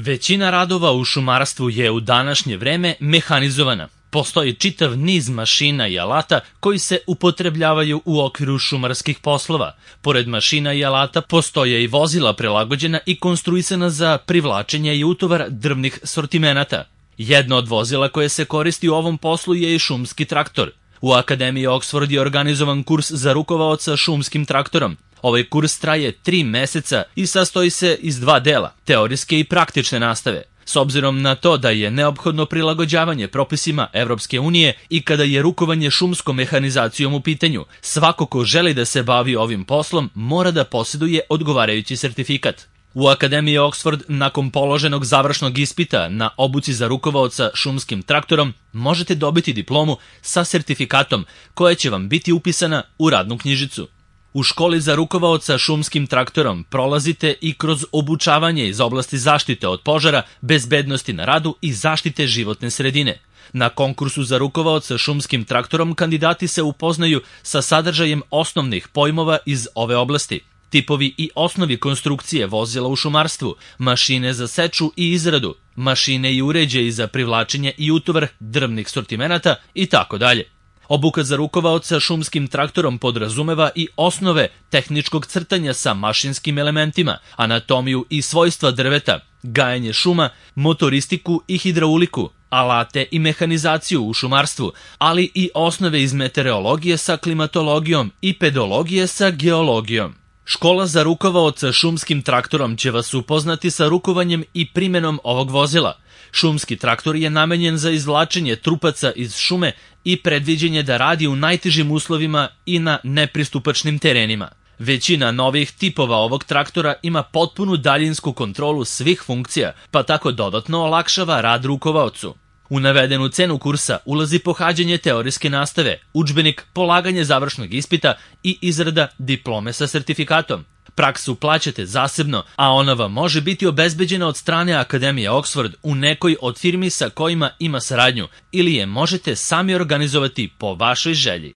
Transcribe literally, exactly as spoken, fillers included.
Većina radova u šumarstvu je u današnje vreme mehanizovana. Postoji čitav niz mašina i alata koji se upotrebljavaju u okviru šumarskih poslova. Pored mašina i alata postoje i vozila prilagođena i konstruisana za privlačenje i utovar drvnih sortimenata. Jedno od vozila koje se koristi u ovom poslu je i šumski traktor. U Akademiji Oxford je organizovan kurs za rukovaoca šumskim traktorom. Ovaj kurs traje tri meseca i sastoji se iz dva dela, teorijske i praktične nastave. S obzirom na to da je neophodno prilagođavanje propisima Evropske unije i kada je rukovanje šumskom mehanizacijom u pitanju, svako ko želi da se bavi ovim poslom mora da posjeduje odgovarajući sertifikat. U Akademiji Oxford, nakon položenog završnog ispita na obuci za rukovaoca šumskim traktorom, možete dobiti diplomu sa sertifikatom koja će vam biti upisana u radnu knjižicu. U školi za rukovaoca šumskim traktorom prolazite i kroz obučavanje iz oblasti zaštite od požara, bezbednosti na radu i zaštite životne sredine. Na konkursu za rukovaoca šumskim traktorom kandidati se upoznaju sa sadržajem osnovnih pojmova iz ove oblasti, tipovi i osnovi konstrukcije vozila u šumarstvu, mašine za seču i izradu, mašine i uređaji za privlačenje i utovar drvnih sortimenata i tako dalje. Obuka za rukovaoca šumskim traktorom podrazumeva i osnove tehničkog crtanja sa mašinskim elementima, anatomiju i svojstva drveta, gajenje šuma, motoristiku i hidrauliku, alate i mehanizaciju u šumarstvu, ali i osnove iz meteorologije sa klimatologijom i pedologije sa geologijom. Škola za rukovaoca šumskim traktorom će vas upoznati sa rukovanjem i primenom ovog vozila. Šumski traktor je namenjen za izvlačenje trupaca iz šume i predviđenje da radi u najtežim uslovima i na nepristupačnim terenima. Većina novih tipova ovog traktora ima potpunu daljinsku kontrolu svih funkcija, pa tako dodatno olakšava rad rukovaocu. U navedenu cenu kursa ulazi pohađanje teorijske nastave, udžbenik, polaganje završnog ispita i izrada diplome sa sertifikatom. Praksu plaćate zasebno, a ona vam može biti obezbeđena od strane Akademije Oxford u nekoj od firmi sa kojima ima saradnju ili je možete sami organizovati po vašoj želji.